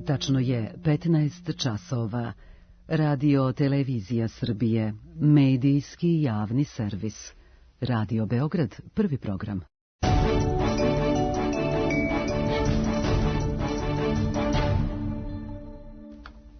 tačno je 15 časova. Radio Televizija Srbije, medijski javni servis. Radio Beograd, prvi program.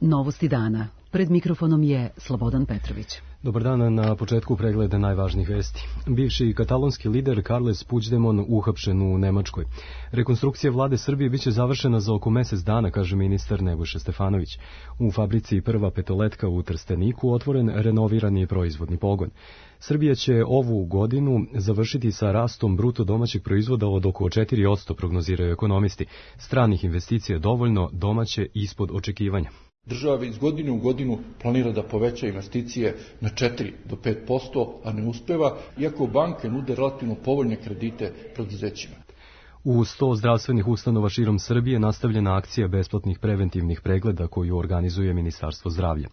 Novosti dana. Pred mikrofonom je Slobodan Petrović. Dobar dan, na početku pregleda najvažnijih vesti. Bivši katalonski lider Carles Puigdemont uhapšen u Nemačkoj. Rekonstrukcija vlade Srbije biće završena za oko mesec dana, kaže ministar Nebojša Stefanović. U fabrici Prva petoletka u Trsteniku otvoren renovirani proizvodni pogon. Srbija će ovu godinu završiti sa rastom bruto domaćeg proizvoda od oko 4%, prognoziraju ekonomisti. Stranih investicija dovoljno, domaće ispod očekivanja. Država iz godine u godinu planira da poveća investicije na 4 do 5%, a ne uspeva, iako banke nude relativno povoljne kredite preduzećima. U 100 zdravstvenih ustanova širom Srbije nastavljena akcija besplatnih preventivnih pregleda koju organizuje Ministarstvo zdravlja.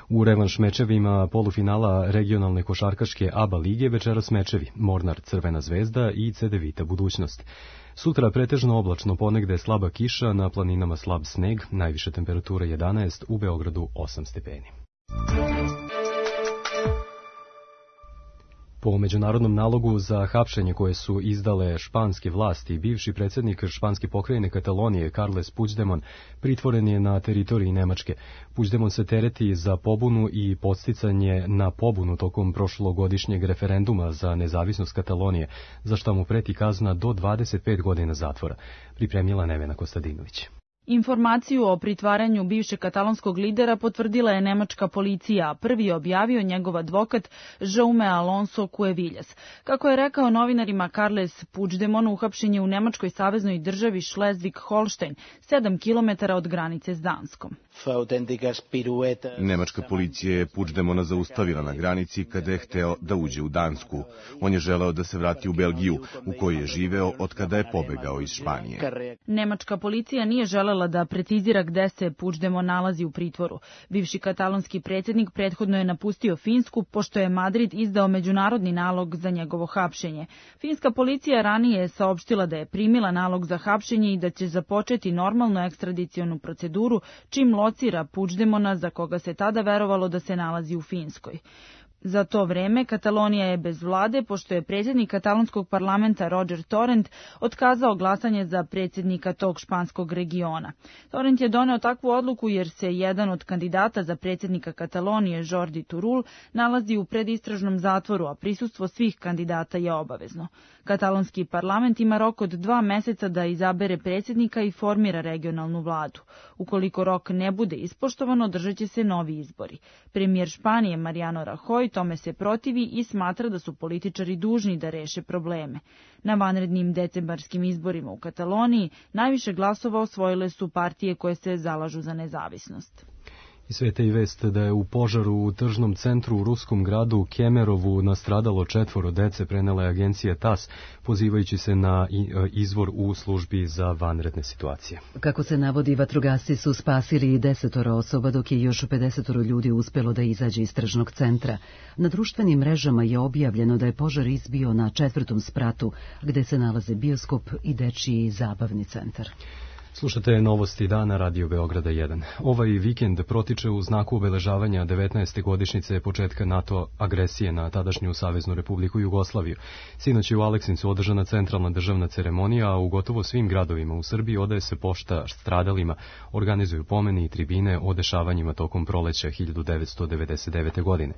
U revanš mečevima polufinala regionalne košarkaške ABA lige večeras mečevi Mornar Crvena zvezda i Cedevita Budućnost. Sutra pretežno oblačno, ponegde slaba kiša, na planinama slab sneg, najviše temperatura 11, u Beogradu 8 stepeni. Po međunarodnom nalogu za hapšenje koje su izdale španske vlasti, bivši predsjednik španske pokrajine Katalonije Carles Puigdemont pritvoren je na teritoriji Nemačke. Puigdemont se tereti za pobunu i podsticanje na pobunu tokom prošlogodišnjeg referenduma za nezavisnost Katalonije, za što mu preti kazna do 25 godina zatvora, pripremila Nevena Kostadinović. Informaciju o pritvaranju bivšeg katalonskog lidera potvrdila je nemačka policija, a prvi je objavio njegov advokat Jaume Alonso Cuevillas. Kako je rekao novinarima, Carles Puigdemont uhapšen je u nemačkoj saveznoj državi Schleswig-Holstein, 7 km od granice s Danskom. Nemačka policija je Puigdemona zaustavila na granici kada je hteo da uđe u Dansku. On je želeo da se vrati u Belgiju, u kojoj je živeo od kada je pobegao iz Španije. Nemačka policija nije želela da precizira gde se Puigdemont nalazi u pritvoru. Bivši katalonski predsjednik prethodno je napustio Finsku, pošto je Madrid izdao međunarodni nalog za njegovo hapšenje. Finska policija ranije je saopštila da je primila nalog za hapšenje i da će započeti normalnu ekstradicionu proceduru čim locira Puigdemona, za koga se tada verovalo da se nalazi u Finskoj. Za to vreme Katalonija je bez vlade, pošto je predsjednik katalonskog parlamenta Roger Torrent otkazao glasanje za predsjednika tog španskog regiona. Torrent je doneo takvu odluku jer se jedan od kandidata za predsjednika Katalonije, Jordi Turull, nalazi u predistražnom zatvoru, a prisustvo svih kandidata je obavezno. Katalonski parlament ima rok od 2 meseca da izabere predsjednika i formira regionalnu vladu. Ukoliko rok ne bude ispoštovan, održat će se novi izbori. Premijer Španije Mariano Rajoy tome se protivi i smatra da su političari dužni da reše probleme. Na vanrednim decembarskim izborima u Kataloniji najviše glasova osvojile su partije koje se zalažu za nezavisnost. I sveta i vest da je u požaru u tržnom centru u ruskom gradu Kemerovu nastradalo 4 dece, prenela je agencija TAS, pozivajući se na izvor u službi za vanredne situacije. Kako se navodi, vatrogasci su spasili 10 osoba, dok je još 50 ljudi uspelo da izađe iz tržnog centra. Na društvenim mrežama je objavljeno da je požar izbio na 4. spratu, gde se nalaze bioskop i dečiji zabavni centar. Slušate novosti dana Radio Beograda 1. Ovaj vikend protiče u znaku obeležavanja 19. godišnjice početka NATO agresije na tadašnju Saveznu Republiku Jugoslaviju. Sinoć je u Aleksincu održana centralna državna ceremonija, a u gotovo svim gradovima u Srbiji odaje se pošta stradalima, organizuju pomeni i tribine o dešavanjima tokom proleća 1999. godine.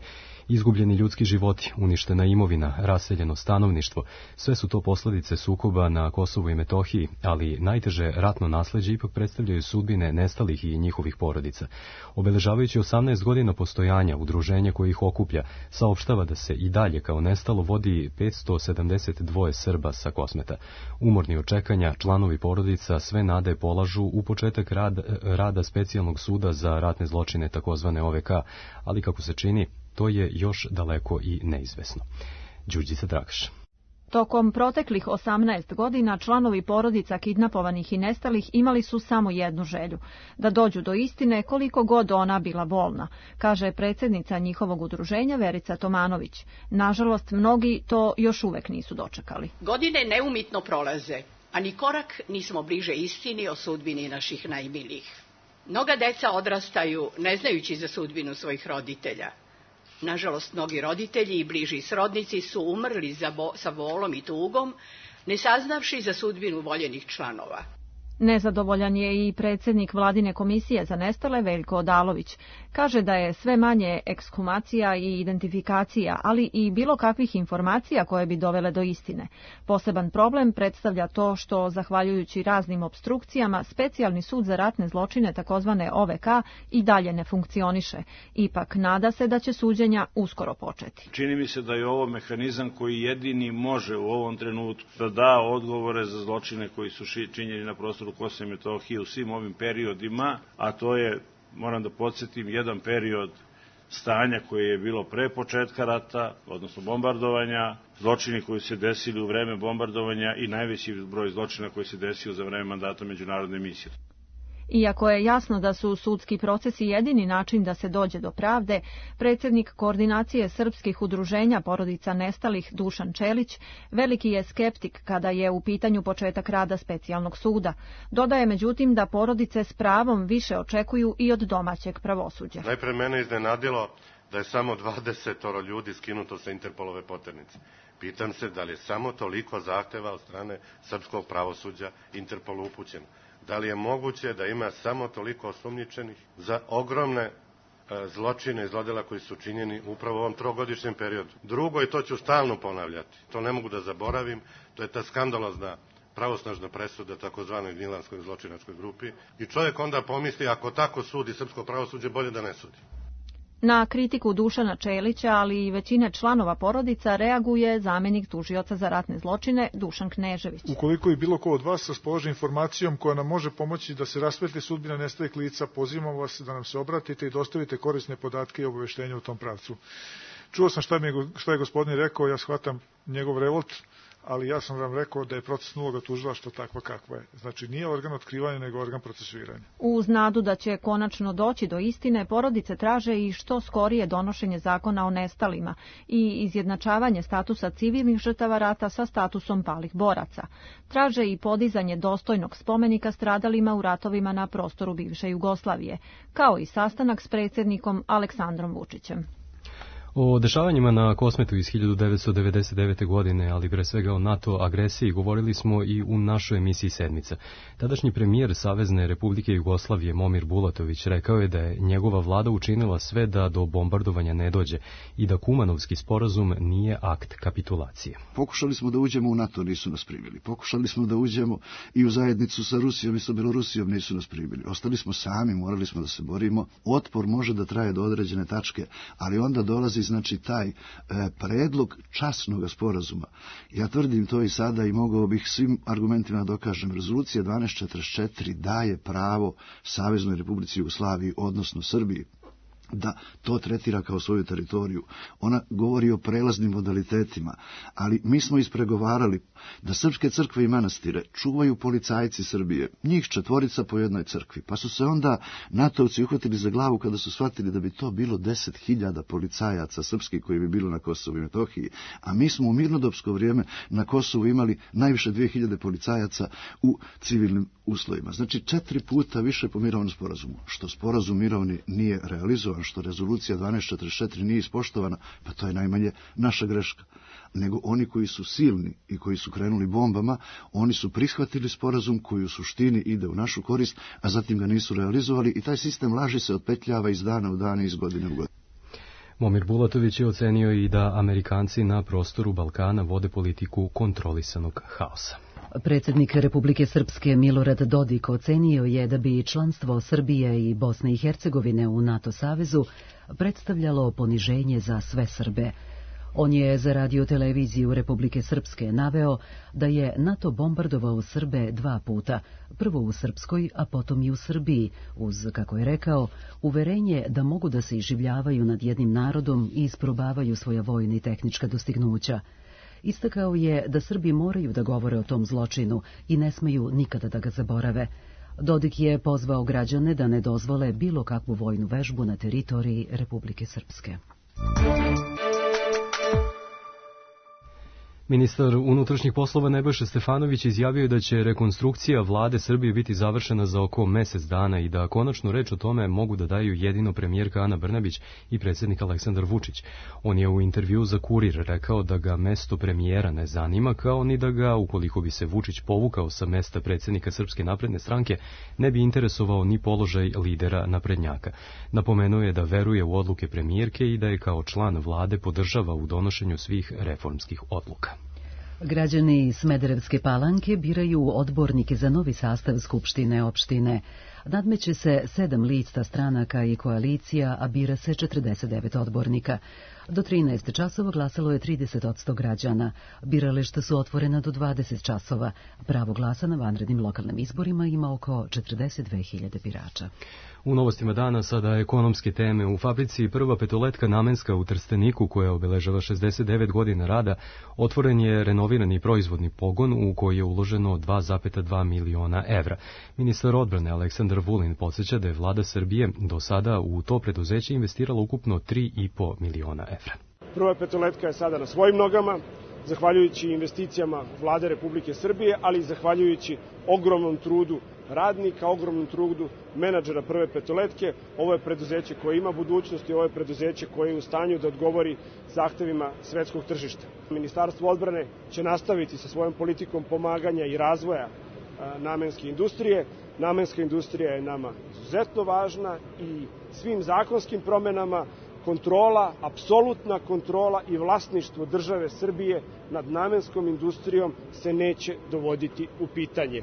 Izgubljeni ljudski životi, uništena imovina, raseljeno stanovništvo, sve su to posljedice sukoba na Kosovu i Metohiji, ali najteže ratno nasleđe ipak predstavljaju sudbine nestalih i njihovih porodica. Obeležavajući 18 godina postojanja, udruženja koje ih okuplja saopštava da se i dalje kao nestalo vodi 572 Srba sa Kosmeta. Umorni od čekanja, članovi porodica sve nade polažu u početak rada specijalnog suda za ratne zločine, takozvane OVK, ali kako se čini, to je još daleko i neizvesno. Đurđica Dragaš. Tokom proteklih 18 godina članovi porodica kidnapovanih i nestalih imali su samo jednu želju, da dođu do istine koliko god ona bila bolna, kaže predsjednica njihovog udruženja Verica Tomanović. Nažalost, mnogi to još uvek nisu dočekali. Godine neumitno prolaze, a ni korak nismo bliže istini o sudbini naših najmilijih. Mnoga deca odrastaju ne znajući za sudbinu svojih roditelja. Nažalost, mnogi roditelji i bliži srodnici su umrli sa bolom i tugom, ne saznavši za sudbinu voljenih članova. Nezadovoljan je i predsjednik Vladine komisije za nestale Veljko Odalović. Kaže da je sve manje ekshumacija i identifikacija, ali i bilo kakvih informacija koje bi dovele do istine. Poseban problem predstavlja to što, zahvaljujući raznim opstrukcijama, specijalni sud za ratne zločine, takozvane OVK, i dalje ne funkcioniše. Ipak nada se da će suđenja uskoro početi. Čini mi se da je ovo mehanizam koji jedini može u ovom trenutku da da odgovore za zločine koji su činjeni na prostoru Kosova i Metohije u svim ovim periodima, a to je, moram da podsjetim, jedan period stanja koje je bilo pre početka rata, odnosno bombardovanja, zločini koji se desili u vreme bombardovanja i najveći broj zločina koji se desio za vreme mandata međunarodne misije. Iako je jasno da su sudski procesi jedini način da se dođe do pravde, predsjednik Koordinacije srpskih udruženja porodica nestalih Dušan Čelić veliki je skeptik kada je u pitanju početak rada specijalnog suda. Dodaje međutim da porodice s pravom više očekuju i od domaćeg pravosuđa. Najpre mene iznenadilo da je samo 20 ljudi skinuto sa Interpolove poternice. Pitam se da li je samo toliko zahteva od strane srpskog pravosuđa Interpolu upućeno. Da li je moguće da ima samo toliko osumnjičenih za ogromne zločine i zlodela koji su činjeni upravo u ovom trogodišnjem periodu. Drugo, i to ću stalno ponavljati, to ne mogu da zaboravim, to je ta skandalozna pravosnažna presuda takozvanoj Gnjilanskoj zločinačkoj grupi. I čovjek onda pomisli, ako tako sudi srpsko pravosuđe, bolje da ne sudi. Na kritiku Dušana Čelića, ali i većine članova porodica, reaguje zamjenik tužioca za ratne zločine Dušan Knežević. Ukoliko je bilo ko od vas raspoloži informacijom koja nam može pomoći da se rasvetli sudbina nestalih lica, pozivamo vas da nam se obratite i dostavite korisne podatke i obaveštenja u tom pravcu. Čuo sam šta je gospodin rekao, ja shvatam njegov revolt, ali ja sam vam rekao da je procesna uloga tužilaštva takva kakva je. Znači nije organ otkrivanja, nego organ procesuiranja. Uz nadu da će konačno doći do istine, porodice traže i što skorije donošenje zakona o nestalima i izjednačavanje statusa civilnih žrtava rata sa statusom palih boraca. Traže i podizanje dostojnog spomenika stradalima u ratovima na prostoru bivše Jugoslavije, kao i sastanak s predsjednikom Aleksandrom Vučićem. O dešavanjima na Kosmetu iz 1999. godine, ali pre svega o NATO agresiji, govorili smo i u našoj emisiji Sedmica. Tadašnji premijer Savezne Republike Jugoslavije Momir Bulatović rekao je da je njegova vlada učinila sve da do bombardovanja ne dođe i da Kumanovski sporazum nije akt kapitulacije. Pokušali smo da uđemo u NATO, nisu nas primili. Pokušali smo da uđemo i u zajednicu sa Rusijom i sa Belorusijom, nisu nas primili. Ostali smo sami, morali smo da se borimo. Otpor može da traje do određene tačke, ali onda dolazi znači taj predlog časnog sporazuma. Ja tvrdim to i sada i mogao bih svim argumentima dokažem. Rezolucija 1244 daje pravo Saveznoj Republici Jugoslaviji, odnosno Srbiji, da to tretira kao svoju teritoriju. Ona govori o prelaznim modalitetima, ali mi smo ispregovarali da srpske crkve i manastire čuvaju policajci Srbije, njih 4 po jednoj crkvi, pa su se onda natovci uhvatili za glavu kada su shvatili da bi to bilo 10.000 policajaca srpskih koji bi bilo na Kosovu i Metohiji, a mi smo u mirnodopsko vrijeme na Kosovu imali najviše 2.000 policajaca u civilnim uslovima. Znači 4 puta više po mirovnom sporazumu. Što sporazum mirovni nije realizovan, što rezolucija 1244 nije ispoštovana, pa to je najmanje naša greška. Nego oni koji su silni i koji su krenuli bombama, oni su prihvatili sporazum koji u suštini ide u našu korist, a zatim ga nisu realizovali i taj sistem laži se otpetljava iz dana u dan i iz godine u godinu. Momir Bulatović je ocenio i da Amerikanci na prostoru Balkana vode politiku kontrolisanog haosa. Predsjednik Republike Srpske Milorad Dodik ocenio je da bi članstvo Srbije i Bosne i Hercegovine u NATO savezu predstavljalo poniženje za sve Srbe. On je za radio-televiziju Republike Srpske naveo da je NATO bombardovao Srbe 2 puta, prvo u Srpskoj, a potom i u Srbiji, uz, kako je rekao, uverenje da mogu da se iživljavaju nad jednim narodom i isprobavaju svoja vojna i tehnička dostignuća. Istakao je da Srbi moraju da govore o tom zločinu i ne smeju nikada da ga zaborave. Dodik je pozvao građane da ne dozvole bilo kakvu vojnu vežbu na teritoriji Republike Srpske. Ministar unutrašnjih poslova Nebojša Stefanović izjavio da će rekonstrukcija vlade Srbije biti završena za oko mesec dana i da konačnu reč o tome mogu da daju jedino premijerka Ana Brnabić i predsjednik Aleksandar Vučić. On je u intervjuu za Kurir rekao da ga mesto premijera ne zanima, kao ni da ga, ukoliko bi se Vučić povukao sa mesta predsjednika Srpske napredne stranke, ne bi interesovao ni položaj lidera naprednjaka. Napomenuo je da veruje u odluke premijerke i da je kao član vlade podržava u donošenju svih reformskih odluka. Građani Smederevske Palanke biraju odbornike za novi sastav Skupštine opštine. Nadmeće se 7 lista stranaka i koalicija, a bira se 49 odbornika. Do 13 časova glasalo je 30% građana. Birališta su otvorena do 20 časova. Pravo glasa na vanrednim lokalnim izborima ima oko 42.000 birača. U novostima dana sada ekonomske teme. U fabrici Prva petoletka namenska u Trsteniku, koja obeležava 69 godina rada, otvoren je renovirani proizvodni pogon u koji je uloženo 2,2 miliona evra. Ministar odbrane Aleksandar Vulin podsjeća da je vlada Srbije do sada u to preduzeće investirala ukupno 3,5 miliona evra. Prva petoletka je sada na svojim nogama, zahvaljujući investicijama vlade Republike Srbije, ali i zahvaljujući ogromnom trudu radnika, ogromnom trudu menadžera Prve petoletke. Ovo je preduzeće koje ima budućnost i ovo je preduzeće koje je u stanju da odgovori zahtevima svetskog tržišta. Ministarstvo odbrane će nastaviti sa svojom politikom pomaganja i razvoja namenske industrije. Namenska industrija je nama izuzetno važna i svim zakonskim promenama kontrola, apsolutna kontrola i vlasništvo države Srbije nad namenskom industrijom se neće dovoditi u pitanje.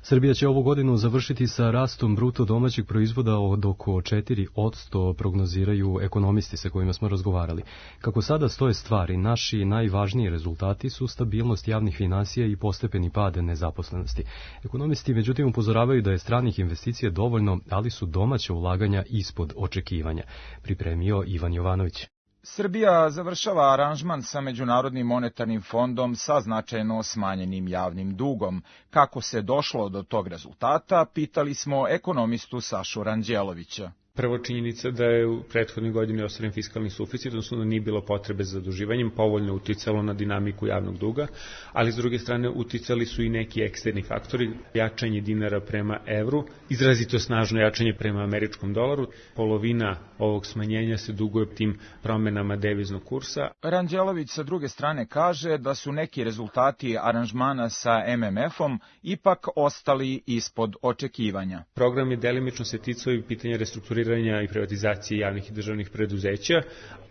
Srbija će ovu godinu završiti sa rastom bruto domaćeg proizvoda od oko 4%, prognoziraju ekonomisti sa kojima smo razgovarali. Kako sada stoje stvari, naši najvažniji rezultati su stabilnost javnih finansija i postepeni pad nezaposlenosti. Ekonomisti međutim upozoravaju da je stranih investicija dovoljno, ali su domaća ulaganja ispod očekivanja. Pripremio Ivan Jovanović. Srbija završava aranžman sa Međunarodnim monetarnim fondom sa značajno smanjenim javnim dugom. Kako se došlo do tog rezultata, pitali smo ekonomistu Sašu Ranđelovića. Prvo, činjenica da je u prethodnoj godini ostvaren fiskalni suficit, odnosno da nije bilo potrebe za zaduživanjem, povoljno uticalo na dinamiku javnog duga, ali s druge strane uticali su i neki eksterni faktori, jačanje dinara prema evru, izrazito snažno jačanje prema američkom dolaru. Polovina ovog smanjenja se duguje tim promenama deviznog kursa. Ranđelović sa druge strane kaže da su neki rezultati aranžmana sa MMF-om ipak ostali ispod očekivanja. Program je delimično se ticao i pitanja restrukturiranja i privatizacije javnih i državnih preduzeća.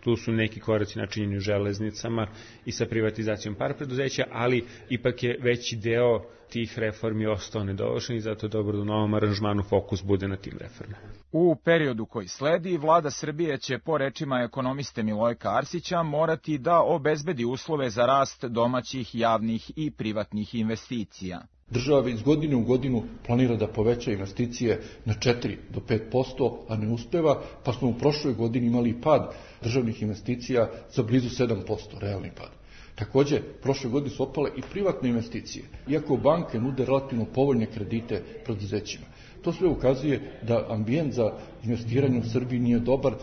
Tu su neki koraci načinjeni u železnicama i sa privatizacijom par preduzeća, ali ipak je veći deo tih reformi ostao nedovršen i zato je dobro da u novom aranžmanu fokus bude na tim reformama. U periodu koji sledi, vlada Srbije će, po rečima ekonomiste Milojka Arsića, morati da obezbedi uslove za rast domaćih, javnih i privatnih investicija. Država iz godine u godinu planira da poveća investicije na 4 do 5%, a ne uspeva, pa smo u prošloj godini imali pad državnih investicija za blizu 7%, realni pad. Takođe, prošle godine su opale i privatne investicije, iako banke nude relativno povoljne kredite preduzećima. To sve ukazuje da ambijent za investiranje u Srbiji nije dobar,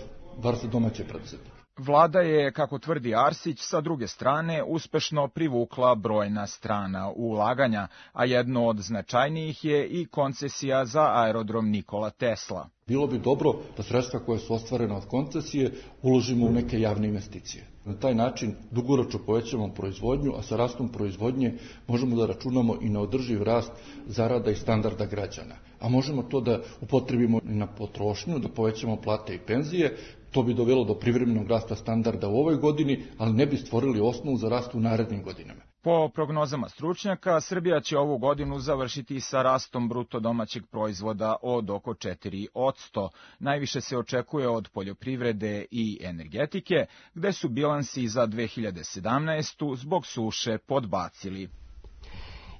bar za domaće preduzetnike. Vlada je, kako tvrdi Arsić, sa druge strane uspešno privukla brojna strana ulaganja, a jedno od značajnijih je i koncesija za aerodrom Nikola Tesla. Bilo bi dobro da sredstva koje su ostvarena od koncesije uložimo u neke javne investicije. Na taj način dugoročno povećamo proizvodnju, a sa rastom proizvodnje možemo da računamo i na održiv rast zarada i standarda građana. A možemo to da upotrebimo i na potrošnju, da povećamo plate i penzije. To bi dovelo do privremenog rasta standarda u ovoj godini, ali ne bi stvorili osnovu za rast u narednim godinama. Po prognozama stručnjaka, Srbija će ovu godinu završiti sa rastom bruto domaćeg proizvoda od oko 4%. Najviše se očekuje od poljoprivrede i energetike, gde su bilansi za 2017. zbog suše podbacili.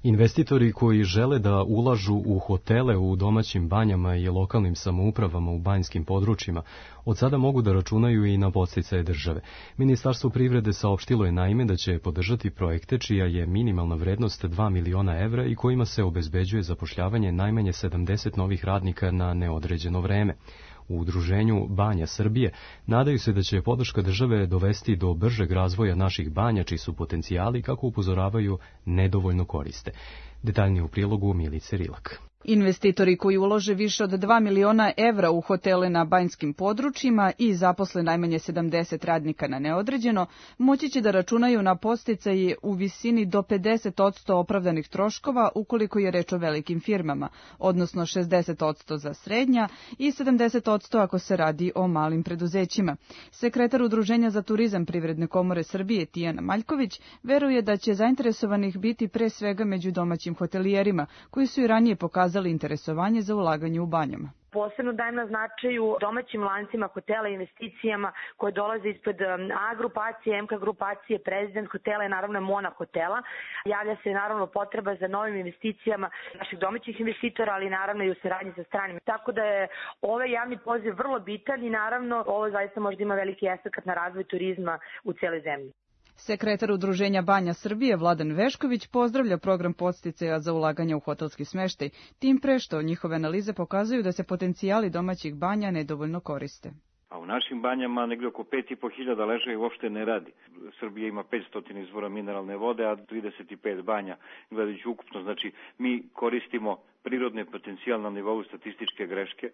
Investitori koji žele da ulažu u hotele u domaćim banjama i lokalnim samoupravama u banjskim područjima, od sada mogu da računaju i na podsticaje države. Ministarstvo privrede saopštilo je naime da će podržati projekte čija je minimalna vrednost 2 miliona evra i kojima se obezbeđuje zapošljavanje najmanje 70 novih radnika na neodređeno vreme. U udruženju Banja Srbije nadaju se da će podrška države dovesti do bržeg razvoja naših banja, čiji su potencijali, kako upozoravaju, nedovoljno koriste. Detaljnije u prilogu Milice Rilak. Investitori koji ulože više od 2 miliona evra u hotele na banjskim područjima i zaposle najmanje 70 radnika na neodređeno, moći će da računaju na podsticaje u visini do 50% opravdanih troškova ukoliko je reč o velikim firmama, odnosno 60% za srednja i 70% ako se radi o malim preduzećima. Sekretar Udruženja za turizam Privredne komore Srbije Tijana Maljković veruje da će zainteresovanih biti pre svega među domaćim hotelijerima, koji su i ranije pokazali interesovanje za ulaganje u banjama. Posebno dajem na značaju domaćim lancima hotela i investicijama koje dolaze ispred A grupacije, MK grupacije, Prezident hotela i naravno Mona hotela. Javlja se naravno potreba za novim investicijama naših domaćih investitora, ali naravno i u saradnji sa stranim. Tako da je ovaj javni poziv vrlo bitan i naravno ovo zaista možda ima veliki efekat na razvoj turizma u cijeloj zemlji. Sekretar Udruženja Banja Srbije Vladan Vešković pozdravlja program podsticaja za ulaganje u hotelski smeštaj, tim pre što njihove analize pokazuju da se potencijali domaćih banja nedovoljno koriste. A u našim banjama negdje oko 5.500 ležaja uopšte ne radi. Srbija ima 500 izvora mineralne vode, a 35 banja, gledajući ukupno. Znači, mi koristimo prirodne potencijal na nivou statističke greške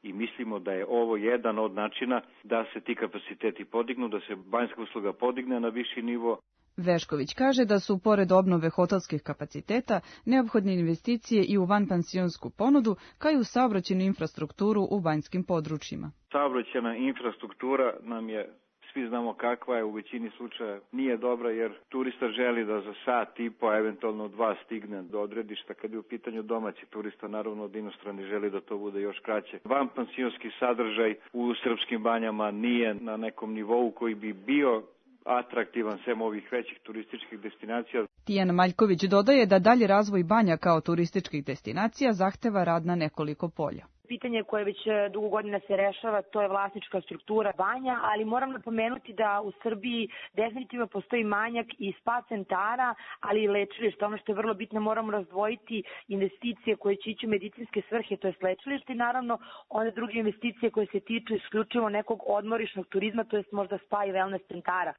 i mislimo da je ovo jedan od načina da se ti kapaciteti podignu, da se banjska usluga podigne na viši nivo. Vešković kaže da su, pored obnove hotelskih kapaciteta, neophodne investicije i u vanpansionsku ponudu, kao i u saobraćajnu infrastrukturu u banjskim područjima. Saobraćajna infrastruktura nam je, svi znamo kakva je, u većini slučaja nije dobra, jer turista želi da za sat i po, eventualno 2 stigne do odredišta. Kad je u pitanju domaći turista, naravno od inostrani želi da to bude još kraće. Vanpansionski sadržaj u srpskim banjama nije na nekom nivou koji bi bio atraktivan sem ovih većih turističkih destinacija. Tijan Maljković dodaje da dalje razvoj banja kao turističkih destinacija zahteva rad na nekoliko polja. Pitanje koje već dugo godina se rešava, to je vlasnička struktura banja, ali moram napomenuti da u Srbiji definitivno postoji manjak i spa centara, ali i lečilišta. Ono što je vrlo bitno, moramo razdvojiti investicije koje će ići u medicinske svrhe, to je lečilište, i naravno one druge investicije koje se tiču isključivo nekog odmorišnog turizma, to je možda spa i wellness centara.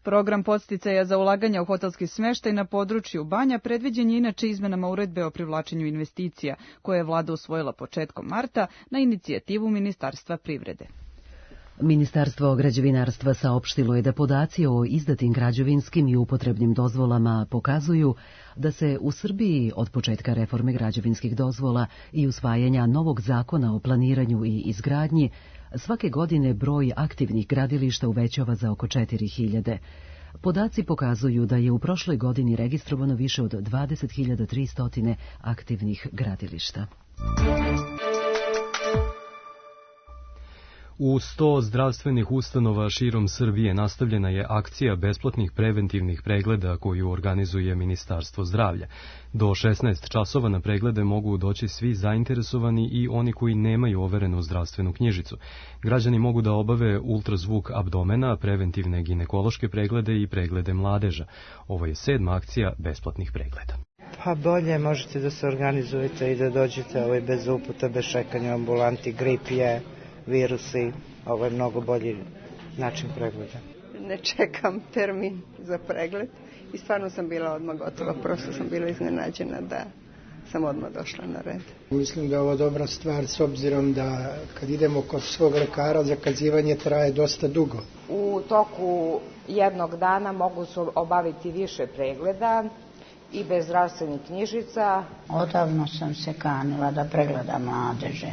Program podsticaja za ulaganja u hotelski smeštaj na području banja predviđen je inače izmenama uredbe o privlačenju investicija, koje je vlada usvojila početkom marta na inicijativu Ministarstva privrede. Ministarstvo građevinarstva saopštilo je da podaci o izdatim građevinskim i upotrebnim dozvolama pokazuju da se u Srbiji od početka reforme građevinskih dozvola i usvajanja novog zakona o planiranju i izgradnji svake godine broj aktivnih gradilišta uvećava za oko 4.000. Podaci pokazuju da je u prošloj godini registrovano više od 20.300 aktivnih gradilišta. U 100 zdravstvenih ustanova širom Srbije nastavljena je akcija besplatnih preventivnih pregleda koju organizuje Ministarstvo zdravlja. Do 16 časova na preglede mogu doći svi zainteresovani i oni koji nemaju overenu zdravstvenu knjižicu. Građani mogu da obave ultrazvuk abdomena, preventivne ginekološke preglede i preglede mladeža. Ovo je 7. akcija besplatnih pregleda. Pa bolje možete da se organizujete i da dođete bez uputa, bez čekanja u ambulanti, grip je, virusi, ovo je mnogo bolji način pregleda. Ne čekam termin za pregled i stvarno sam bila odmah gotova, prosto sam bila iznenađena da sam odmah došla na red. Mislim da je ovo dobra stvar s obzirom da kad idemo kod svog lekara zakazivanje traje dosta dugo. U toku jednog dana mogu se obaviti više pregleda i bez zdravstvenih knjižica. Odavno sam se kanila da pregledam mladeže.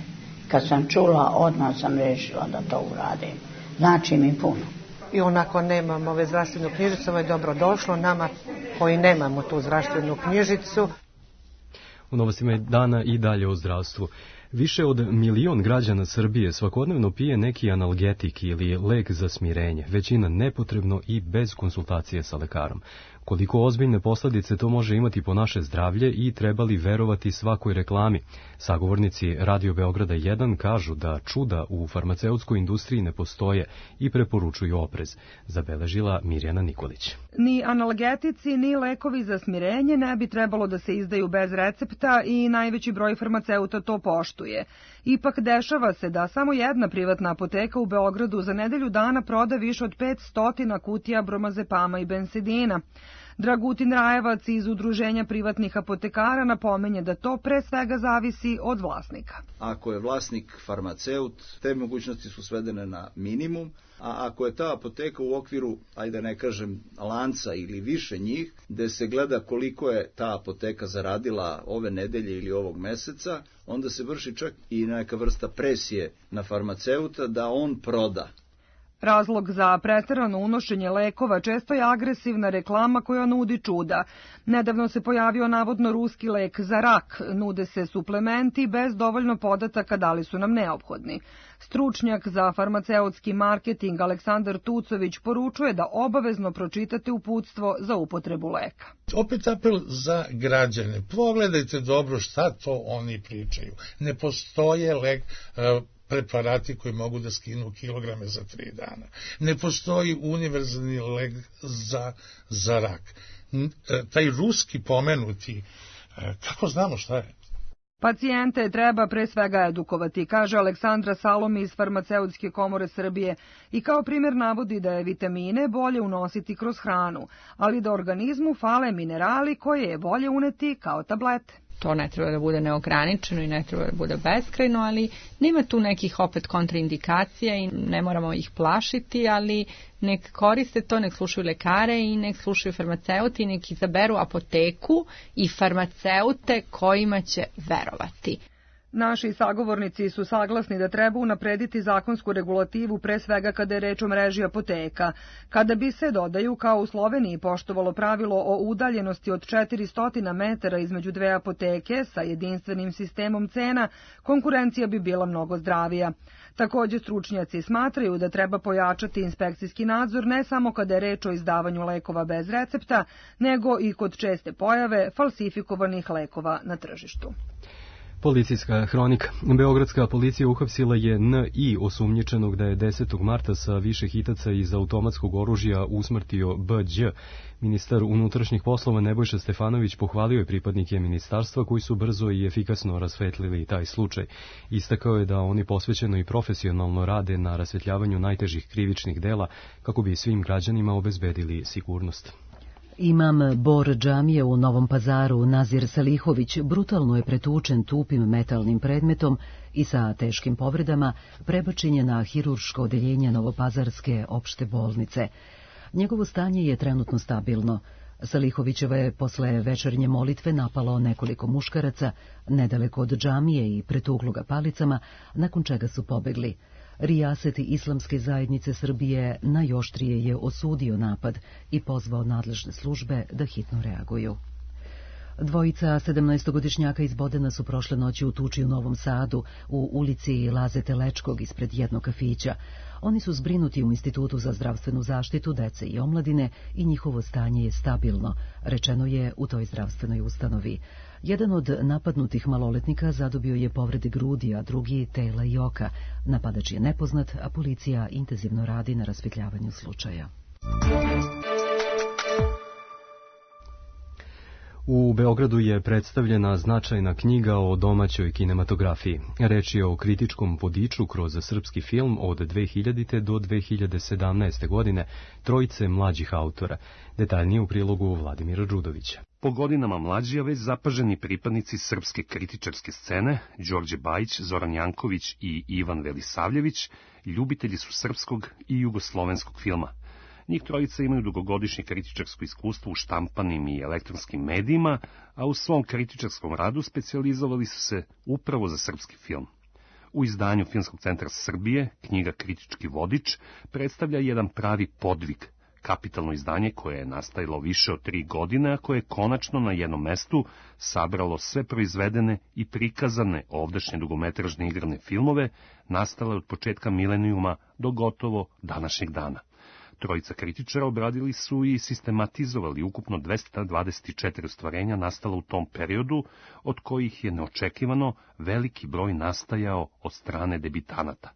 Kad sam čula, odmah sam rešila da to uradim. Znači mi puno. I onako nemam ove zdravstvenu knjižicu, ovo je dobro došlo nama koji nemamo tu zdravstvenu knjižicu. U novostima dana i dalje o zdravstvu. Više od 1 milion građana Srbije svakodnevno pije neki analgetik ili lek za smirenje, većina nepotrebno i bez konsultacije sa lekarom. Koliko ozbiljne posljedice to može imati po naše zdravlje i treba li verovati svakoj reklami? Sagovornici Radio Beograda 1 kažu da čuda u farmaceutskoj industriji ne postoje i preporučuju oprez, zabeležila Mirjana Nikolić. Ni analgetici, ni lekovi za smirenje ne bi trebalo da se izdaju bez recepta i najveći broj farmaceuta to poštuje. poštuje. Ipak dešava se da samo jedna privatna apoteka u Beogradu za nedelju dana proda više od 500 kutija bromazepama i bensedina. Dragutin Rajevac iz Udruženja privatnih apotekara napominje da to pre svega zavisi od vlasnika. Ako je vlasnik farmaceut, te mogućnosti su svedene na minimum, a ako je ta apoteka u okviru, ajde ne kažem, lanca ili više njih, gde se gleda koliko je ta apoteka zaradila ove nedelje ili ovog meseca, onda se vrši čak i neka vrsta presije na farmaceuta da on proda. Razlog za preterano unošenje lekova često je agresivna reklama koja nudi čuda. Nedavno se pojavio navodno ruski lek za rak, nude se suplementi bez dovoljno podataka da li su nam neophodni. Stručnjak za farmaceutski marketing Aleksandar Tucović poručuje da obavezno pročitate uputstvo za upotrebu leka. Opet apel za građane. Pogledajte dobro šta to oni pričaju. Ne postoje preparati koji mogu da skinu kilograme za 3 dana. Ne postoji univerzalni lek za rak. Taj ruski pomenuti, kako znamo šta je? Pacijente treba pre svega edukovati, kaže Aleksandra Salomi iz Farmaceutske komore Srbije i kao primjer navodi da je vitamine bolje unositi kroz hranu, ali da organizmu fale minerali koje je bolje uneti kao tablete. To ne treba da bude neograničeno i ne treba da bude beskrajno, ali nema tu nekih opet kontraindikacija i ne moramo ih plašiti, ali nek koriste to, nek slušaju lekare i nek slušaju farmaceuti i nek izaberu apoteku i farmaceute kojima će verovati. Naši sagovornici su saglasni da treba unaprediti zakonsku regulativu pre svega kada je reč o mreži apoteka. Kada bi se, dodaju, kao u Sloveniji poštovalo pravilo o udaljenosti od 400 metara između dve apoteke sa jedinstvenim sistemom cena, konkurencija bi bila mnogo zdravija. Također stručnjaci smatraju da treba pojačati inspekcijski nadzor ne samo kada je reč o izdavanju lekova bez recepta, nego i kod česte pojave falsifikovanih lekova na tržištu. Policijska hronika. Beogradska policija uhapsila je N.I. osumnjičenog da je 10. marta sa više hitaca iz automatskog oružja usmrtio B.Đ. Ministar unutrašnjih poslova Nebojša Stefanović pohvalio je pripadnike ministarstva koji su brzo i efikasno rasvetlili taj slučaj. Istakao je da oni posvećeno i profesionalno rade na rasvetljavanju najtežih krivičnih dela kako bi svim građanima obezbedili sigurnost. Imam Bor džamije u Novom Pazaru Nazir Salihović brutalno je pretučen tupim metalnim predmetom i sa teškim povredama prebačen je na hirurško odeljenje Novopazarske opšte bolnice. Njegovo stanje je trenutno stabilno. Salihovićeva je posle večernje molitve napalo nekoliko muškaraca nedaleko od džamije i pretuklo ga palicama, nakon čega su pobegli. Rijaset Islamske zajednice Srbije najoštrije je osudio napad i pozvao nadležne službe da hitno reaguju. Dvojica 17-godišnjaka iz Bodena su prošle noći u tuči u Novom Sadu u ulici Laze Telečkog ispred jednog kafića. Oni su zbrinuti u Institutu za zdravstvenu zaštitu dece i omladine i njihovo stanje je stabilno, rečeno je u toj zdravstvenoj ustanovi. Jedan od napadnutih maloletnika zadobio je povrede grudi, a drugi tela i oka. Napadač je nepoznat, a policija intenzivno radi na rasvetljavanju slučaja. U Beogradu je predstavljena značajna knjiga o domaćoj kinematografiji. Reč je o kritičkom vodiču kroz srpski film od 2000. do 2017. godine trojice mlađih autora. Detaljnije u prilogu Vladimira Đudovića. Po godinama mlađi, a već zapaženi pripadnici srpske kritičarske scene, Đorđe Bajić, Zoran Janković i Ivan Velisavljević, ljubitelji su srpskog i jugoslovenskog filma. Njih trojica imaju dugogodišnje kritičarsko iskustvo u štampanim i elektronskim medijima, a u svom kritičarskom radu specijalizovali su se upravo za srpski film. U izdanju Filmskog centra Srbije, knjiga Kritički vodič predstavlja jedan pravi podvig, kapitalno izdanje koje je nastajalo više od 3 godine, a koje je konačno na jednom mestu sabralo sve proizvedene i prikazane ovdašnje dugometražne igrane filmove, nastale od početka milenijuma do gotovo današnjeg dana. Trojica kritičara obradili su i sistematizovali ukupno 224 ostvarenja nastala u tom periodu, od kojih je neočekivano veliki broj nastajao od strane debitanata.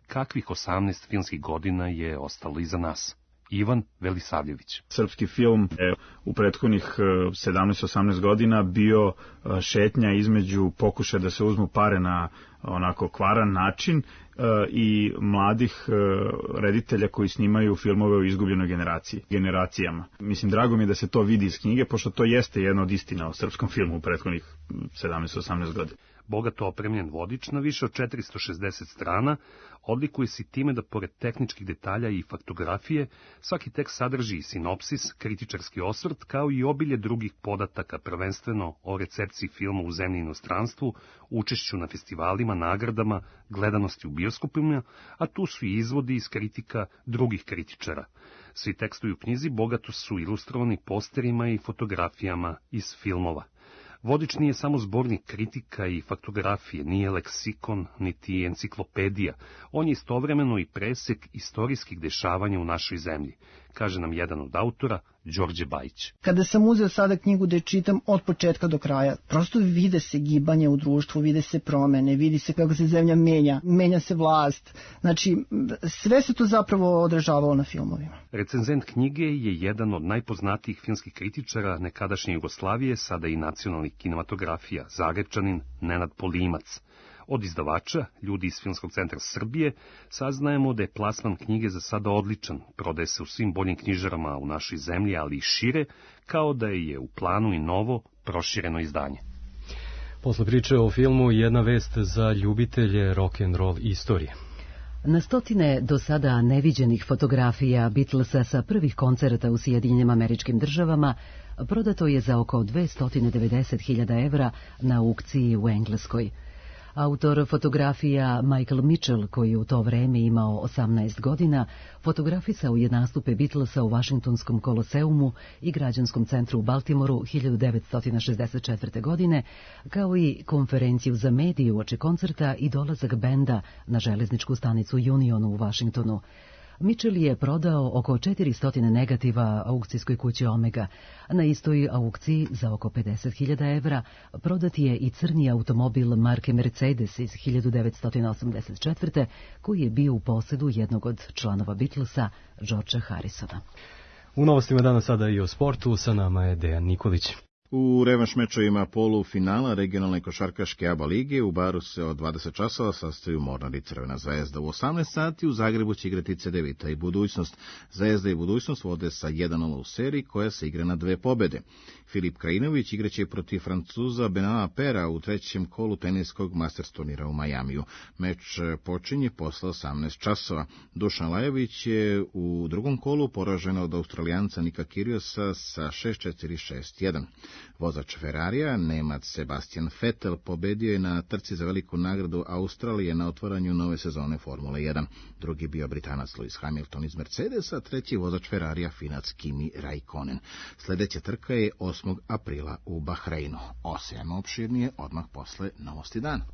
Kakvih 18 filmskih godina je ostalo iza nas? Ivan Velisavljević. Srpski film je u prethodnih 17-18 godina bio šetnja između pokušaja da se uzmu pare na onako kvaran način i mladih reditelja koji snimaju filmove o izgubljenoj generacijama. Mislim, drago mi je da se to vidi iz knjige, pošto to jeste jedna od istina o srpskom filmu u prethodnih 17-18 godina. Bogato opremljen vodič na više od 460 strana odlikuje se time da pored tehničkih detalja i faktografije, svaki tekst sadrži i sinopsis, kritičarski osvrt, kao i obilje drugih podataka, prvenstveno o recepciji filma u zemlji i inostranstvu, učešću na festivalima, nagradama, gledanosti u bioskopima, a tu su i izvodi iz kritika drugih kritičara. Svi tekstovi u knjizi bogato su ilustrovani posterima i fotografijama iz filmova. Vodič nije samo zbornik kritika i faktografije, nije leksikon, niti enciklopedija. On je istovremeno i presek istorijskih dešavanja u našoj zemlji, kaže nam jedan od autora, Đorđe Bajić. Kada sam uzeo sada knjigu da je čitam od početka do kraja, prosto vide se gibanje u društvu, vide se promene, vidi se kako se zemlja menja se vlast. Znači, sve se to zapravo odražavalo na filmovima. Recenzent knjige je jedan od najpoznatijih filmskih kritičara nekadašnje Jugoslavije, sada i nacionalnih kinematografija, Zagrebčanin Nenad Polimac. Od izdavača, ljudi iz Filmskog centra Srbije, saznajemo da je plasman knjige za sada odličan, prodaje se u svim boljim knjižarama u našoj zemlji, ali i šire, kao da je u planu i novo, prošireno izdanje. Posle priče o filmu, jedna vest za ljubitelje rock'n'roll istorije. Na stotine do sada neviđenih fotografija Beatlesa sa prvih koncerata u Sjedinjenim Američkim Državama prodato je za oko 290.000 evra na aukciji u Engleskoj. Autor fotografija Michael Mitchell, koji je u to vreme imao 18 godina, fotografisao je nastupe Beatlesa u Vašingtonskom koloseumu i Građanskom centru u Baltimoru 1964. godine, kao i konferenciju za medije uoči koncerta i dolazak benda na železničku stanicu Unionu u Vašingtonu. Mitchell je prodao oko 400 negativa aukcijskoj kući Omega. Na istoj aukciji za oko 50.000 evra prodat je i crni automobil marke Mercedes iz 1984. koji je bio u posedu jednog od članova Beatlesa, Georgea Harrisona. U novostima danas sada i o sportu, sa nama je Dejan Nikolić. U revanš mečovima polufinala regionalne košarkaške ABA lige u Baru se od 20 časova sastaju Mornar i Crvena Zvezda. U 18 sati u Zagrebu će igrati Cedevita i Budućnost. Zvezda i Budućnost vode sa 1-0 u seriji koja se igra na 2 pobede. Filip Krajinović igraće protiv Francuza Benama Pera u trećem kolu teniskog Masters turnira u Majamiju. Meč počinje posle 18 časova. Dušan Lajović je u drugom kolu poražen od Australijanca Nika Kyrgiosa sa 6-4, 6-1. Vozač Ferrarija, Nemac Sebastian Vettel, pobedio je na trci za veliku nagradu Australije na otvaranju nove sezone Formule 1. Drugi bio Britanac Lewis Hamilton iz Mercedesa, treći vozač Ferrarija Finac Kimi Raikkonen. Sljedeća trka je 8. aprila u Bahreinu. Osam opširnije odmah posle Novosti dana.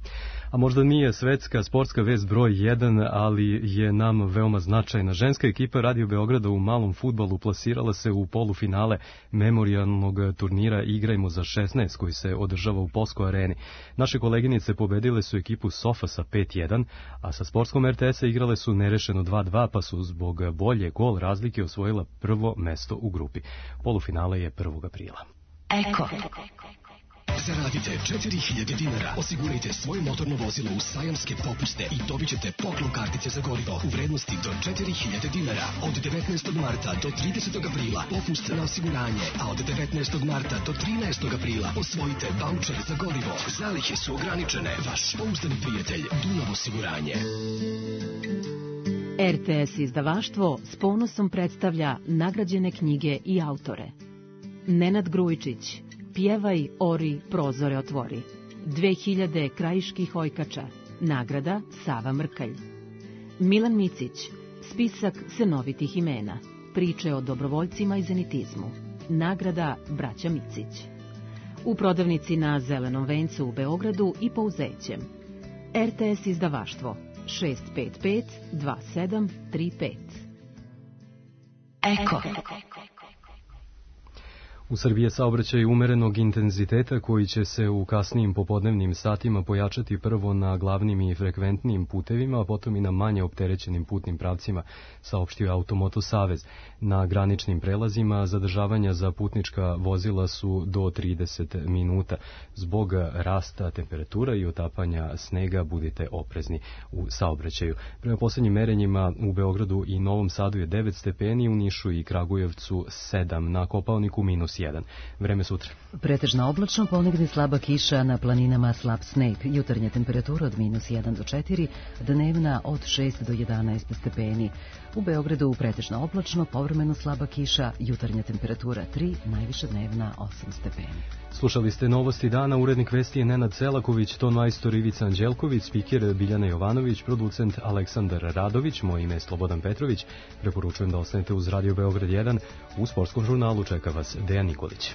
A možda nije svetska sportska vest broj 1, ali je nam veoma značajna. Ženska ekipa Radio Beograda u malom fudbalu plasirala se u polufinale memorijalnog turnira Igrajmo za 16 koji se održava u Posko areni. Naše koleginice pobedile su ekipu Sofa sa 5-1, a sa sportskom RTS-a igrale su nerešeno 2-2, pa su zbog bolje gol razlike osvojila prvo mesto u grupi. Polufinale je 1. aprila. Eko. Zaradite 4.000 dinara, osigurajte svoje motorno vozilo u sajamske popuste i dobit ćete poklon kartice za gorivo u vrednosti do 4.000 dinara. Od 19. marta do 30. aprila popust na osiguranje, a od 19. marta do 13. aprila osvojite vaučer za gorivo. Zalihe su ograničene. Vaš pouzdani prijatelj Dunav osiguranje. RTS izdavaštvo s ponosom predstavlja nagrađene knjige i autore. Nenad Grujičić, Pjevaj, ori, prozore otvori. 2000 krajiških ojkača. Nagrada Sava Mrkalj. Milan Micić, spisak senovitih imena. Priče o dobrovoljcima i zenitizmu. Nagrada Braća Micić. U prodavnici na Zelenom vencu u Beogradu i po Uzećem. RTS izdavaštvo 655 2735. Eko. U Srbiji je saobraćaj umerenog intenziteta koji će se u kasnijim popodnevnim satima pojačati prvo na glavnim i frekventnim putevima, a potom i na manje opterećenim putnim pravcima, saopštio Automoto Savez. Na graničnim prelazima zadržavanja za putnička vozila su do 30 minuta. Zbog rasta temperatura i otapanja snega budite oprezni u saobraćaju. Prema poslednjim merenjima u Beogradu i Novom Sadu je 9 stepeni, u Nišu i Kragujevcu 7, na Kopaoniku -1. Vreme sutra. Pretežno oblačno, ponegde slaba kiša, na planinama slab sneg. Jutarnja temperatura od -1 do 4, dnevna od 6 do 11 stepeni. U Beogradu pretežno oblačno, povremeno slaba kiša, jutarnja temperatura 3, najviša dnevna 8 stepeni. Slušali ste Novosti dana, urednik vesti je Nenad Selaković, ton majstor Ivica Anđelković, spiker Biljana Jovanović, producent Aleksandar Radović, moje ime je Slobodan Petrović. Preporučujem da ostanete uz Radio Beograd 1, u sportskom žurnalu čeka vas Dejan Nikolić.